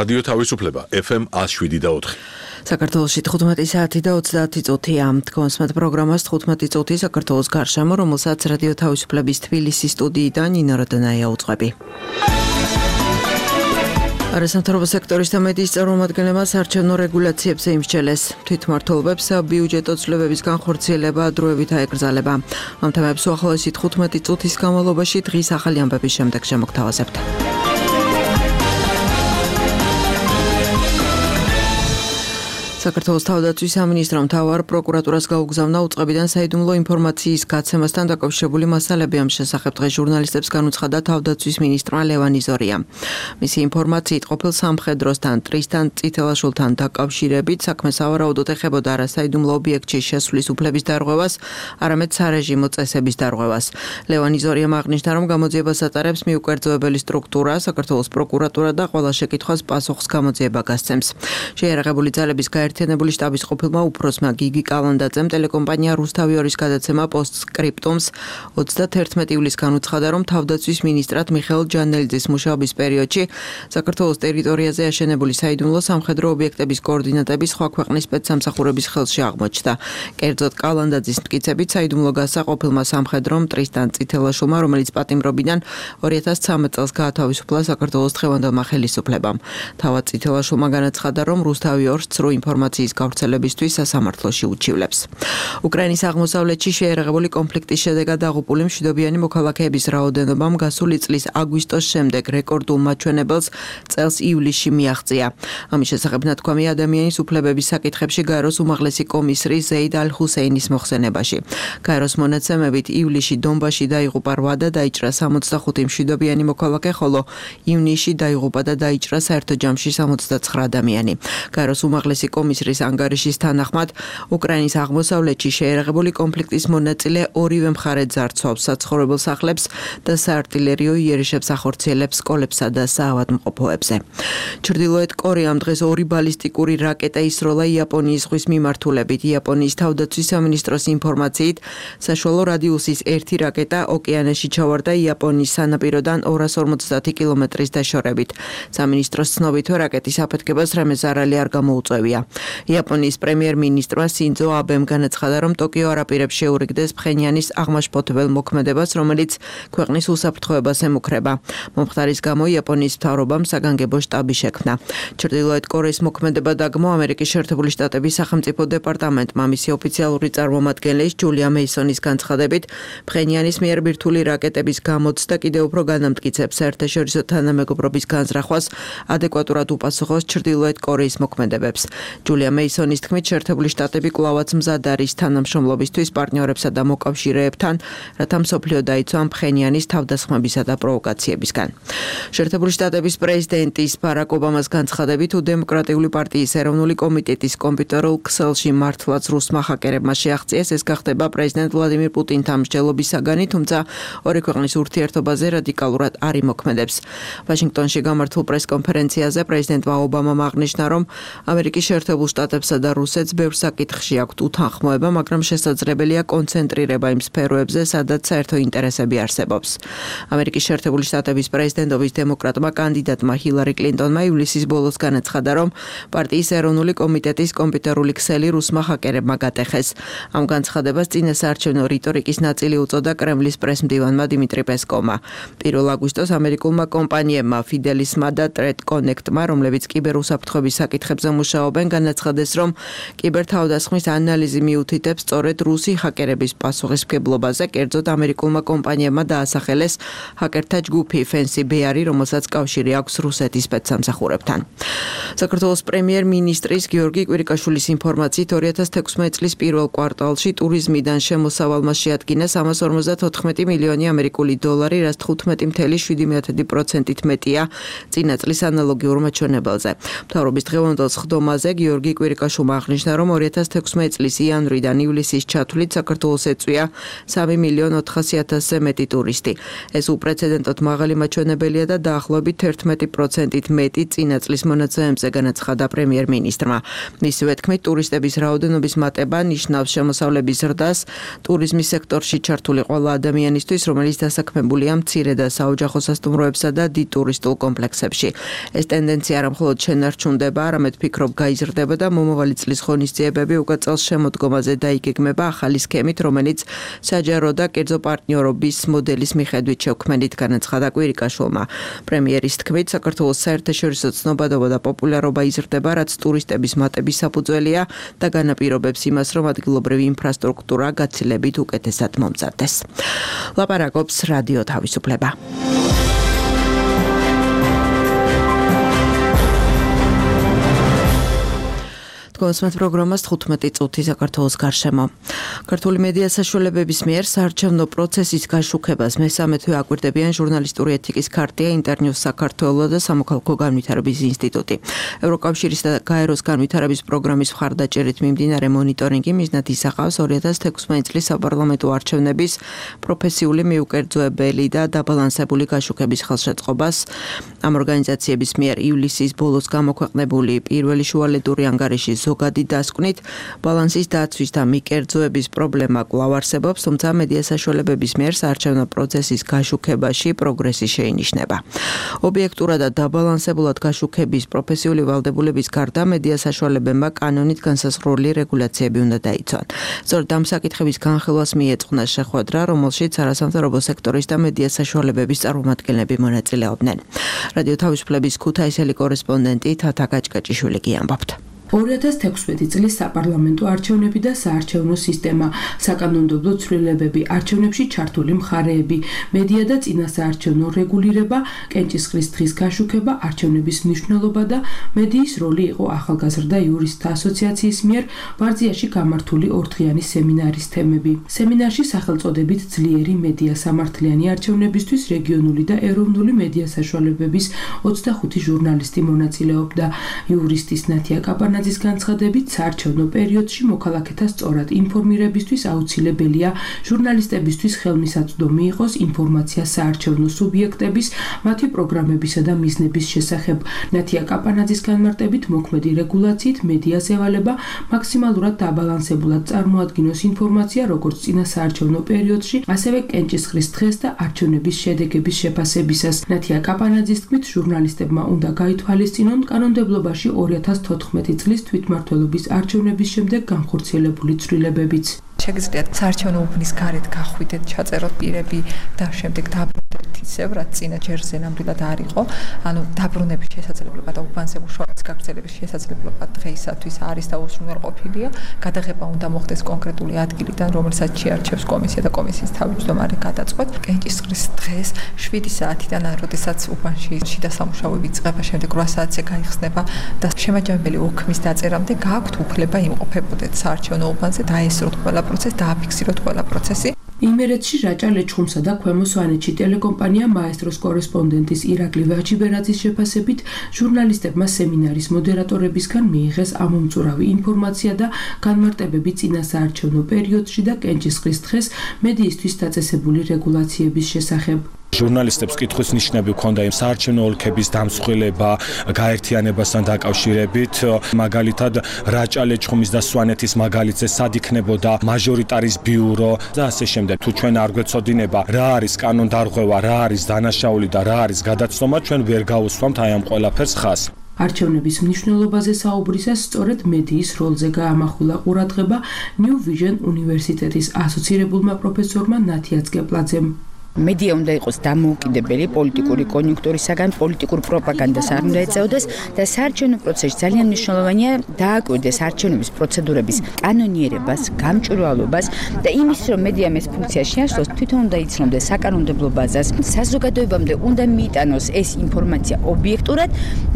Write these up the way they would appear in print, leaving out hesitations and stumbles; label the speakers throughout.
Speaker 1: რადიო თავისუფლება FM 107.4.
Speaker 2: საქართველოში 15 საათი და 30 წუთია. თქვენს პროგრამას 15 წუთი საქართველოს გარშემო, რომელსაც რადიო თავისუფლების თბილისის სტუდიიდან ნინო როდანაია უძღვები. არასამთავრობო სექტორის და მედიის წარმომადგენლებმა საარჩევნო რეგულაციებზე იმსჯელეს. თვითმმართველობებს ბიუჯეტო ცვლილებების განხორციელება დროებით აეკრძალება. ამ თემებს უახლოესი 15 წუთის განმავლობაში დღის ახალი ამბების შემდეგ შემოგთავაზებთ. საქართველოს თავდაცვის სამინისტრომ მთავარ პროკურატურას გაუგზავნა უწყებიდან საიდუმლო ინფორმაციის გაცემასთან დაკავშირებული მასალები. ამ შესახებ დღეს ჟურნალისტებს განუცხადა თავდაცვის მინისტრმა ლევან იზორია. მისი ინფორმაციით ყოფილ სამხედროსთან ტრისთან წითელაშვილთან დაკავშირებით საქმე სავარაუდოდ ეხებოდა არა საიდუმლო ობიექტში შესვლის უფლების დარღვევას, არამედ სარეჟიმო წესების დარღვევას. ლევან იზორიამ აღნიშნა, რომ გამოძიებას ატარებს მიუკერძოებელი სტრუქტურა, საქართველოს პროკურატურა და ყველა შეკითხვას პასუხს გამოძიება გასცემს. შეიარაღებული ძალების გაერთიანებული შტაბის ყოფილმა უფროსმა გიგი კალანდაძემ ტელეკომპანია რუსთავი 2-ის გადაცემა პოსტსკრიპტუმს 31 ივლისს განუცხადა, რომ თავდაცვის მინისტრად მიხეილ ჯანელიძის მუშაობის პერიოდში საქართველოს ტერიტორიაზე აშენებული საიდუმლო სამხედრო ობიექტების კოორდინატები სხვა ქვეყნის სპეცსამსახურების ხელში აღმოჩნდა. კერძოდ კალანდაძის მტკიცებით საიდუმლო გასა ყოფილმა სამხედრომ ტრისთან წითელაშვილმა, რომელიც პატიმრობიდან 2013 წელს გაათავისუფლა საქართველოს დღევანდელმა ხელისუფლებამ. თავად წითელაშვილმა განაცხადა, რომ რუსთავი 2-ს ინფორმაციის გავრცელებისთვის სასამართლოში უჩივლებს. უკრაინის აღმოსავლეთში შეიარაღებული კონფლიქტის შედეგად დაღუპული მშვიდობიანი მოქალაქეების რაოდენობამ გასული წლის აგვისტოს შემდეგ რეკორდულ მაჩვენებელს წელს ივლისში მიაღწია. ამის შესახებ ნათქვამი ადამიანის უფლებების საკითხებში გაეროს უმაღლესი კომისრის ზეიდ ალ-ჰუსეინის მოხსენებაში. გაეროს მონაცემებით ივლისში დონბასში დაიღუპა 8 და დაიჭრა 65 მშვიდობიანი მოქალაქე, ხოლო ივნისში დაიღუპა და დაიჭრა საერთო ჯამში 69 ადამიანი. გაეროს უმაღლესი კომისრის ანგარიშის თანახმად, უკრაინის აღმოსავლეთში შეიარაღებული კონფლიქტის მონაწილე ორივე მხარე ძარცვავს საცხოვრებელ სახლებს და საარტილერიო იერიშებს ახორციელებს სკოლებსა და საავადმყოფოებზე. ჩრდილოეთ კორეამ დღეს 2 ბალისტიკური რაკეტა ისროლა იაპონიის ზღვის მიმართულებით. იაპონიის თავდაცვის სამინისტროს ინფორმაციით, საშუალო რადიუსის 1 რაკეტა ოკეანეში ჩავარდა იაპონიის სანაპიროდან 250 კილომეტრის დაშორებით. სამინისტროს ცნობით, რაკეტის აფეთქებას რამე ზარალი არ გამოუწვევია. იაპონიის პრემიერ-მინისტრმა სინძო აბემ განაცხადა, რომ ტოკიო არ აპირებს შეურიგდეს ფხენიანის აღმაშფოთებელ მოქმედებას, რომელიც ქვეყნის უსაფრთხოებას ემუქრება. მომხდარის გამო იაპონიის მთავრობამ საგანგებო შტაბი შექმნა. ჩრდილოეთ კორეის მოქმედება დაგმო ამერიკის შეერთებული შტატების სახელმწიფო დეპარტამენტმა. მისი ოფიციალური წარმომადგენლის ჯულია მეისონის განცხადებით, ფხენიანის მიერ ბირთვული რაკეტების გამოცდა კიდევ უფრო განამტკიცებს საერთაშორისო თანამეგობრობის განზრახვას, ადეკვატურად უპასუხოს ჩრდილოეთ კორეის მოქმედებებს. ჯულია მეისონის თქმით, შეერთებული შტატები კვლავაც მზად არის თანამშრომლობისთვის პარტნიორებსა და მოკავშირეებთან, რათა მსოფლიო დაიცვა ფხენიანის თავდასხმებისა და პროვოკაციებისგან. შეერთებული შტატების პრეზიდენტის ბარაკ ობამას განცხადებით, დემოკრატიული პარტიის ეროვნული კომიტეტის კომპიუტერულ ქსელში მართლაც რუსმა ჰაკერებმა შეაღწიეს. ეს გახდება პრეზიდენტ ვლადიმირ პუტინთან მსჯელობის საგანი, თუმცა ორი ქვეყნის ურთიერთობაზე რადიკალურად არ იმოქმედებს. ვაშინგტონში გამართულ პრესკონფერენციაზე პრეზიდენტმა ობამამ აღნიშნა, რომ ამერიკის შეერთებულ შტატებსა და რუსეთს ბევრ საკითხში აქვთ უთანხმოება, მაგრამ შესაძლებელია კონცენტრირება იმ სფეროებზე, სადაც საერთო ინტერესები არსებობს. ამერიკის შეერთებული შტატების პრეზიდენტობის დემოკრატმა კანდიდატმა ჰილარი კლინტონმა ივლისის ბოლოს განაცხადა, რომ პარტიის ეროვნული კომიტეტის კომპიუტერული ქსელი რუსმა ჰაკერებმა გატეხეს. ამ განცხადებას წინასაარჩევნო რიტორიკის ნაწილი უწოდა კრემლის პრესმდივანმა დიმიტრი პესკოვმა. 1 აგვისტოს ამერიკულმა კომპანიებმა ფიდელისმა და ტრედ კონექტმა, რომლებიც კიბერუსაფრთხოების საკითხებზე მუშაობენ, განაცხადეს, რომ კიბერთავდასხმის ანალიზი მიუთითებს სწორედ რუსი ჰაკერების პასუხისმგებლობაზე. კერძოდ ამერიკულმა კომპანიებმა დაასახელეს ჰაკერთა ჯგუფი Fancy Bear-ი, რომელსაც კავშირი აქვს რუსეთის სპეცსამსახურებთან. საქართველოს პრემიერ-მინისტრის გიორგი კვირიკაშვილის ინფორმაციით, 2016 წლის პირველ კვარტალში ტურიზმიდან შემოსავალმა შეადგინა 354 მილიონი ამერიკული დოლარი, რაც 15.7%-ით მეტია წინა წლის ანალოგიურ მაჩვენებელზე. მთავრობის დღევანდელ სხდომაზე გიორგი გიორგი კვირიკაშვილმა აღნიშნა, რომ 2016 წლის იანვრიდან ივლისის ჩათვლით საქართველოს ეწვია 3.400.000-ზე მეტი ტურისტი. ეს უპრეცედენტოდ მაღალი მაჩვენებელია და დაახლოებით 11%-ით მეტი წინა წლის მონაცემებზე, განაცხადა პრემიერ-მინისტრმა. მისივე თქმით, ტურისტების რაოდენობის მატება ნიშნავს შემოსავლების ზრდას ტურიზმის სექტორში ჩართული ყველა ადამიანისთვის, რომელიც დასაქმებულია მცირე და საოჯახო სასტუმროებსა და დიდ ტურისტულ კომპლექსებში. ეს ტენდენცია არა მხოლოდ შენარჩუნდება, არამედ ფიქრობ გაიზრდება და მომავალი წლის ღონისძიებები უკვე წელს შემოდგომაზე დაიგეგმება ახალი სქემით, რომელიც საჯარო და კერძო პარტნიორობის მოდელის მიხედვით შევქმნით, განაცხადა კვირიკაშვილმა. პრემიერის თქმით, საქართველოს საერთაშორისო ცნობადობა და პოპულარობა იზრდება, რაც ტურისტების მატების საფუძველია და განაპირობებს იმას, რომ ადგილობრივი ინფრასტრუქტურა გაცილებით უკეთესად მომზადდეს. ლაპარაკობს რადიო თავისუფლება. კონსმეთ პროგრამას 15 წუთი საქართველოს გარშემო. ქართული მედია საშუალებების მიერ საარჩევნო პროცესის გაშუქებას მესამე თვე აკვირდებიან ჟურნალისტური ეთიკის ქარტია, ინტერნიუს საქართველოს და სამოქალაქო განვითარების ინსტიტუტი. ევროკავშირის და გაეროს განვითარების პროგრამის მხარდაჭერით მიმდინარე მონიტორინგი მიზნად ისახავს 2016 წლის საპარლამენტო არჩევნების პროფესიული მიუკერძოებელი და დაბალანსებული გაშუქების ხელშეწყობას. ამ ორგანიზაციების მიერ ივლისის ბოლოს გამოქვეყნებული პირველი შუალედური ანგარიში ზოგადი დასკვნით ბალანსის დაცვის და მიკერძოების პრობლემა კვლავ არსებობს, თუმცა მედია საშუალებების მიერ საარჩევნო პროცესის გაშუქებაში პროგრესი შეინიშნება. ობიექტურად და დაბალანსებულად გაშუქების პროფესიული ვალდებულების გარდა მედია საშუალებებმა კანონით განსაზღვრული რეგულაციები უნდა დაიცვან. სწორედ ამ საკითხების განხილვას მიეწყნა შეხვედრა, რომელშიც არასამთავრობო სექტორის და მედია საშუალებების წარმომადგენლები მონაწილეობდნენ. რადიო თავისუფლების ქუთაისელი კორესპონდენტი თათა გაჭკაჭიშვილი გიამბობთ.
Speaker 3: 2016 წლის საპარლამენტო არჩევნები და საარჩევნო სისტემა, საკანონმდებლო ცვლილებები, არჩევნებში ჩართული მხარეები, მედია და წინასაარჩევნო რეგულირება, კენჭისყრის დღის გაშუქება, არჩევნების მნიშვნელობა და მედიის როლი იყო ახალგაზრდა იურისტთა ასოციაციის მიერ ბარძიაში გამართული ორდღიანი სემინარის თემები. სემინარში სახელწოდებით ძლიერი მედია სამართლიანი არჩევნებისთვის რეგიონული და ეროვნული მედია საშუალებების 25 ჟურნალისტი მონაწილეობდა. იურისტის ნათია კაპანა განაძის განცხადებით, საარჩევნო პერიოდში მოქალაქეთა სწორად ინფორმირებისთვის აუცილებელია ჟურნალისტებისთვის ხელმისაწვდომი იყოს ინფორმაცია საარჩევნო სუბიექტების, მათი პროგრამებისა და მიზნების შესახებ. ნათია კაპანაძის განმარტებით, მოქმედი რეგულაციით მედიას ევალება მაქსიმალურად დაბალანსებულად წარმოადგინოს ინფორმაცია როგორც წინა საარჩევნო პერიოდში, ასევე კენჭისყრის დღეს და არჩევნების შედეგების შეფასებისას. ნათია კაპანაძის თქმით, ჟურნალისტებმა უნდა გაითვალისწინონ კანონმდებლობაში 2014 წლის თვითმმართველობის არჩევნების შემდეგ განხორციელებული ცვლილებებიც.
Speaker 4: შეგიძლიათ საარჩევნო უბნის გარეთ გახვიდეთ, ჩაწეროთ პირები და შემდეგ დაბრუნდეთ ისევ, რაც წინა ჯერზე ნამდვილად არ იყო. ანუ დაბრუნების შესაძლებლობა და უბანზე მუშაობის გაგრძელების შესაძლებლობა დღეისათვის არის და უზრუნველყოფილია. გადაღება უნდა მოხდეს კონკრეტული ადგილიდან, რომელსაც შეარჩევს კომისია და კომისიის თავმჯდომარე გადაწყვეტ. კენჭისყრის დღეს 7 საათიდან, როდესაც უბანში შიდა სამუშაოები იწყება, შემდეგ 8 საათზე გაიხსნება და შემაჯამებელი ოქმის დაწერამდე გააქვთ უფლება იმყოფებოდეთ საარჩევნო უბანზე, დაესწროთ ყველა პროცესი, დააფიქსიროთ ყველა პროცესი.
Speaker 3: იმერეთში რაჭა ლეჩხუმსა და ქვემო სვანეთში ტელეკომპანია მაესტროს კორესპონდენტის ირაკლი ვაჭიბერაძის შეფასებით, ჟურნალისტებმა სემინარის მოდერატორებისგან მიიღეს ამომწურავი ინფორმაცია და განმარტებები წინა საარჩევნო პერიოდში და კენჭისყრის დღეს მედიისთვის დაწესებული რეგულაციების შესახებ.
Speaker 5: ჟურნალისტებს კითხვის ნიშნები ჰქონდა იმ საარჩევნო ოლქების დამსხვილება, გაერთიანებასთან დაკავშირებით, მაგალითად რაჭა ლეჩხუმის და სვანეთის მაგალითზე სად იქნებოდა მაჟორიტარის ბიურო და ასე შემდეგ. თუ ჩვენ არ გვეცოდინება რა არის კანონდარღვევა, რა არის დანაშაული და რა არის გადაცნობა, ჩვენ ვერ გავუსვამთ აი ამ ყველაფერს ხაზს.
Speaker 3: არჩევნების მნიშვნელობაზე საუბრისას სწორედ მედიის როლზე გაამახვილა ყურადღება New Vision უნივერსიტეტის ასოცირებულმა პროფესორმა ნათია წკეპლაძემ.
Speaker 6: მედია უნდა იყოს დამოუკიდებელი პოლიტიკური კონიუნქტურისაგან, პოლიტიკურ პროპაგანდას არ უნდა ეწეოდეს და საარჩევნო პროცესში ძალიან მნიშვნელოვანია დააკვირდეს არჩევნების პროცედურების კანონიერებას, გამჭვირვალობას და იმის, რომ მედიამ ეს ფუნქცია შეასრულოს, თვითონ უნდა იცნობდეს საკანონმდებლო ბაზას, საზოგადოებამდე უნდა მიიტანოს ეს ინფორმაცია ობიექტურად,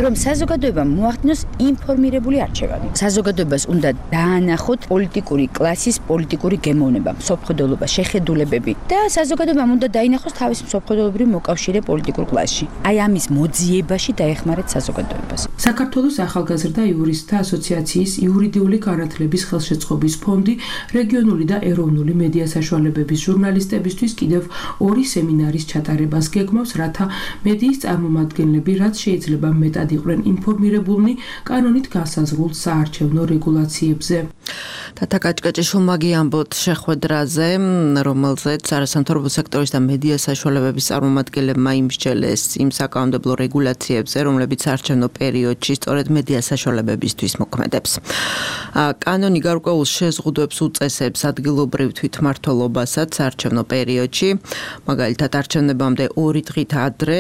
Speaker 6: რომ საზოგადოებამ მოახდინოს ინფორმირებული არჩევანი. საზოგადოებას უნდა დაანახოთ პოლიტიკური კლასის პოლიტიკური გემოვნება, მსოფლმხედველობა, შეხედულებები და საზოგადოებამ უნდა დაინახოს თავის მსოფლმხედველობრივ მოკავშირე პოლიტიკურ კლასში. აი ამის მოძიებაში დაეხმარეთ საზოგადოებას.
Speaker 3: საქართველოს ახალგაზრდა იურისტთა ასოციაციის იურიდიული განათლების ხელშეწყობის ფონდი რეგიონული და ეროვნული მედია საშუალებების ჟურნალისტებისთვის კიდევ 2 სემინარის ჩატარებას გეგმავს, რათა მედიის წარმომადგენლები რაც შეიძლება მეტად იყვნენ ინფორმირებულნი კანონით განსაზღვრულ საარჩევნო რეგულაციებზე.
Speaker 2: თათა კაჭკაჭიშვილმა გიამბოთ შეხვედრაზე, რომელზეც არასამთავრობო სექტორის და მედია საშუალებების წარმომადგენლებმა იმსჯელეს იმ საკანონმდებლო რეგულაციებზე, რომლებიც საარჩევნო პერიოდში სწორედ მედია საშუალებებისთვის მოქმედებს. კანონი გარკვეულ შეზღუდვებს უწესებს ადგილობრივ თვითმმართველობასაც საარჩევნო პერიოდში, მაგალითად არჩევნებამდე 2 დღით ადრე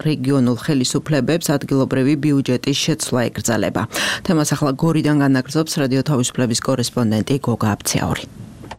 Speaker 2: რეგიონულ ხელისუფლებებს ადგილობრივი ბიუჯეტის შეცვლა ეკრძალება. თემას ახლა გორიდან განაგრძობს რადიო თავისუფლების კორესპონდენტი გოგა აბცაური.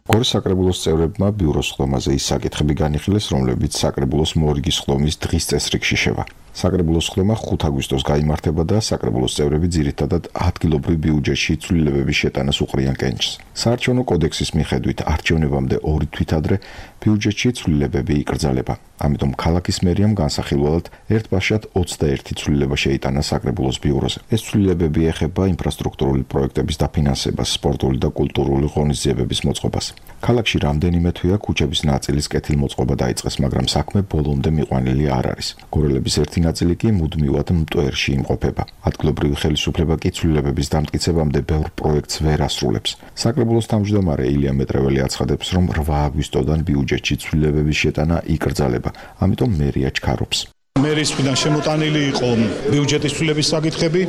Speaker 7: გორის საკრებულოს წევრებმა ბიუროს ხდომაზე ის საკითხები განიხილეს, რომლებიც საკრებულოს მორიგის ხდომის დღის წესრიგში შევა. საკრებულოს ხდომა 5 აგვისტოს გაიმართება და საკრებულოს წევრები ძირითადად ადგილობრივ ბიუჯეტში ცვლილებების შეტანას უყრიან კენჭს. საარჩევნო კოდექსის მიხედვით არჩევნებამდე 2 თვით ადრე ბიუჯეტში ცვლილებები იკრძალება. ამიტომ ქალაქის მერიამ განსახილველად ერთბაშად 21 ცვლილება შეიტანა საკრებულოს ბიუროზე. ეს ცვლილებები ეხება ინფრასტრუქტურული პროექტების დაფინანსებას, სპორტული და კულტურული ღონისძიებების მოწყობას. ქალაქში რამდენიმე თვეა ქუჩების ნაწილის კეთილმოწყობა დაიწყეს, მაგრამ საქმე ბოლომდე მიყვანილი არ არის. გორელების ერთი ნაწილი კი მუდმივად მტვერში იმყოფება. ადგილობრივი ხელისუფლება კი ცვლილებების დამტკიცებამდე ბევრ პროექტს ვერ ასრულებს. საკრებულოს თავმჯდომარე ილია მეტრეველი აცხადებს, რომ 8 აგვისტოდან ბიუჯეტში ცვლილებების შეტანა იკრძალება, ამიტომ მერია ჩქარობს.
Speaker 8: მერის მხრიდან შემოტანილი იყო ბიუჯეტის ცვლილების საკითხები,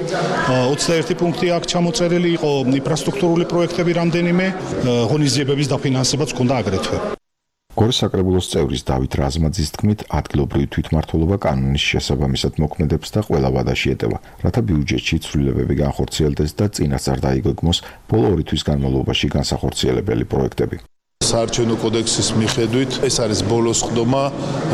Speaker 8: 21 პუნქტი აქ ჩამოწერილი იყო ინფრასტრუქტურული პროექტები რამდენიმე, ღონისძიებების დაფინანსებაც ჰქონდა აგრეთვე.
Speaker 7: გორის საკრებულოს წევრის დავით რაზმაძის თქმით, ადგილობრივი თვითმმართველობა კანონის შესაბამისად მოქმედებს და ყველა ვადაში ეტევა, რათა ბიუჯეტში ცვლილებები განხორციელდეს და წინასწარ დაიგეგმოს ბოლო 2 თვის განმავლობაში განსახორციელებელი პროექტები.
Speaker 9: საარჩევნო კოდექსის მიხედვით ეს არის ბოლოს ხდომა,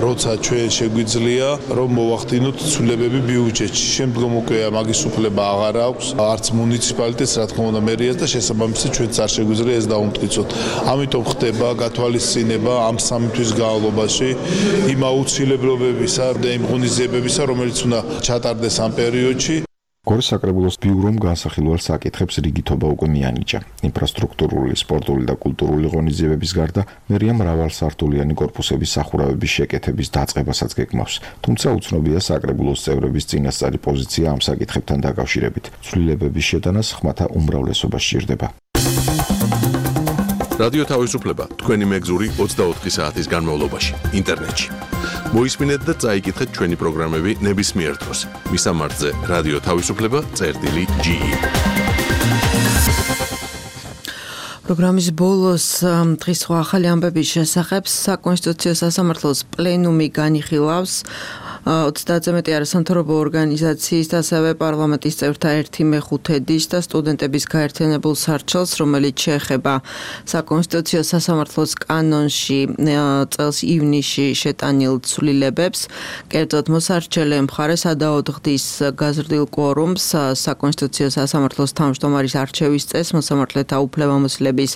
Speaker 9: როცა ჩვენ შეგვიძლია რომ მოვახდინოთ ცვლილებები ბიუჯეტში. შემდგომ უკვე მაგის უფლება აღარ აქვს არც მუნიციპალიტეტს, რა თქმა უნდა მერიას და შესაბამისად ჩვენც არ შეგვიძლია ეს დავუმტკიცოთ. ამიტომ ხდება გათვალისწინება ამ 3 თვის განმავლობაში იმ აუცილებლობებისა და იმ ღონისძიებებისა, რომელიც უნდა ჩატარდეს ამ პერიოდში.
Speaker 7: გორის საკრებულოს ბიურომ განსახილველ საკითხებს რიგითობა უკვე მიანიჭა. ინფრასტრუქტურული, სპორტული და კულტურული ღონისძიებების გარდა მერია მრავალსართულიანი კორპუსების სახურავების შეკეთების დაწყებასაც გეგმავს. თუმცა უცნობია საკრებულოს წევრების წინასწარი პოზიცია ამ საკითხებთან დაკავშირებით. ცვლილებების შეტანას ხმათა უმრავლესობა სჭირდება.
Speaker 1: რადიო თავისუფლება თქვენი მეგზური 24 საათის განმავლობაში ინტერნეტში. მოისმინეთ და წაიკითხეთ ჩვენი პროგრამები ნებისმიერ დროს. მისამართზე რადიო თავისუფლება.ge.
Speaker 2: პროგრამის ბოლოს დღის სხვა ახალი ამბების შესახებ საკონსტიტუციო სასამართლოს პლენუმი განიხილავს 30-ზე მეტი არასამთავრობო ორგანიზაციის და ასევე პარლამენტის წევრთა 1/5 და სტუდენტების გაერთიანებულ სარჩელს, რომელიც შეეხება საკონსტიტუციო სასამართლოს კანონში წელს ივნისში შეტანილ ცვლილებებს. კერძოდ მოსარჩელე მხარეს ადაოდგდის გაზრდილ კვორუმს საკონსტიტუციო სასამართლოს თავმჯდომარის არჩევის წესს, მოსამართლეთა უფლებამოსილების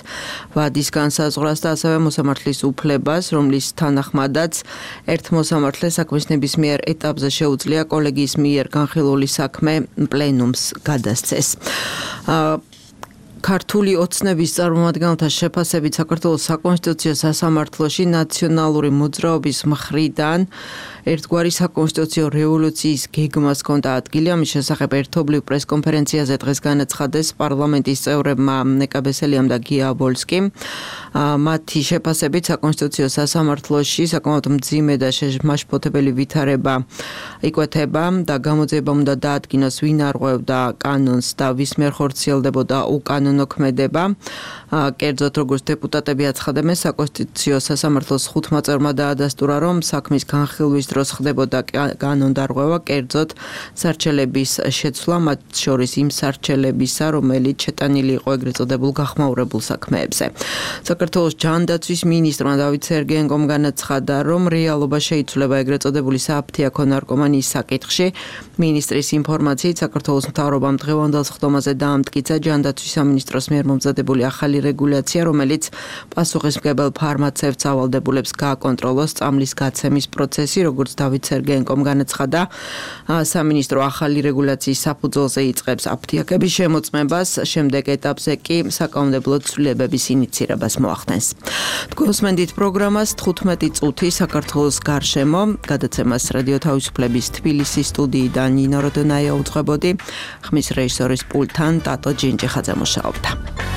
Speaker 2: ვადის განსაზღვრას და ასევე მოსამართლის უფლებას, რომლის თანახმადაც ერთ მოსამართლეს საქმის ნებისმიერ ეტაპზე შეუძლია კოლეგიის მიერ განხილული საქმე პლენუმს გადასცეს. ქართული ოცნების წარმომადგენელთა შეფასებით საქართველოს საკონსტიტუციო სასამართლოში ნაციონალური მოძრაობის მხრიდან ერთგვარი საკონსტიტუციო რევოლუციის გეგმას ჰქონდა ადგილი. ამის შესახებ ერთობლივ პრესკონფერენციაზე დღეს განაცხადეს პარლამენტის წევრებმა ნეკა ბესელიამ და გია აბოლსკიმ. მათი შეფასებით საკონსტიტუციო სასამართლოში საკმაოდ მძიმე და შემაშფოთებელი ვითარება იკვეთება და გამოძიებამ უნდა დაადგინოს ვინ არღვევდა კანონს და ვის მიერ ხორციელდებოდა უკანონო ქმედება. კერძოდ როგორც დეპუტატები აცხადებენ, საკონსტიტუციო სასამართლოს 5 წევრმა დაადასტურა, რომ საქმის განხილვის დროს ხდებოდა კანონდარღვევა, კერძოდ სარჩელების შეცვლა, მათ შორის იმ სარჩელებისა, რომელიც შეტანილი იყო ეგრეთ წოდებულ გახმაურებულ საქმეებზე. საქართველოს ჯანდაცვის მინისტრმა დავით სერგეენკომ განაცხადა, რომ რეალობა შეიცვლება ეგრეთ წოდებული საფთიაქო ნარკომანიის საკითხში. მინისტრის ინფორმაციით, საქართველოს მთავრობამ დღევანდელ ხდომაზე დაამტკიცა ჯანდაცვის სამინისტროს სამინისტროს მიერ მომზადებული ახალი რეგულაცია, რომელიც პასუხისმგებელ ფარმაცევტს ავალდებულებს გააკონტროლოს წამლის გაცემის პროცესი, როგორც დავით სერგეენკომ განაცხადა. სამინისტრო ახალი რეგულაციის საფუძველზე იწყებს აფთიაქების შემოწმებას, შემდეგ ეტაპზე კი საკანონმდებლო ცვლილებების ინიციირებას მოახდენს. თქვენსმენდით პროგრამას 15 წუთი საქართველოს გარშემო, გადაცემას რადიო თავისუფლების თბილისის სტუდიიდან ნინო როდონაია უძღვებოდი, ხმის რეჟისორის პულტთან ტატო ჯინჯიხაძე მუშაობდა.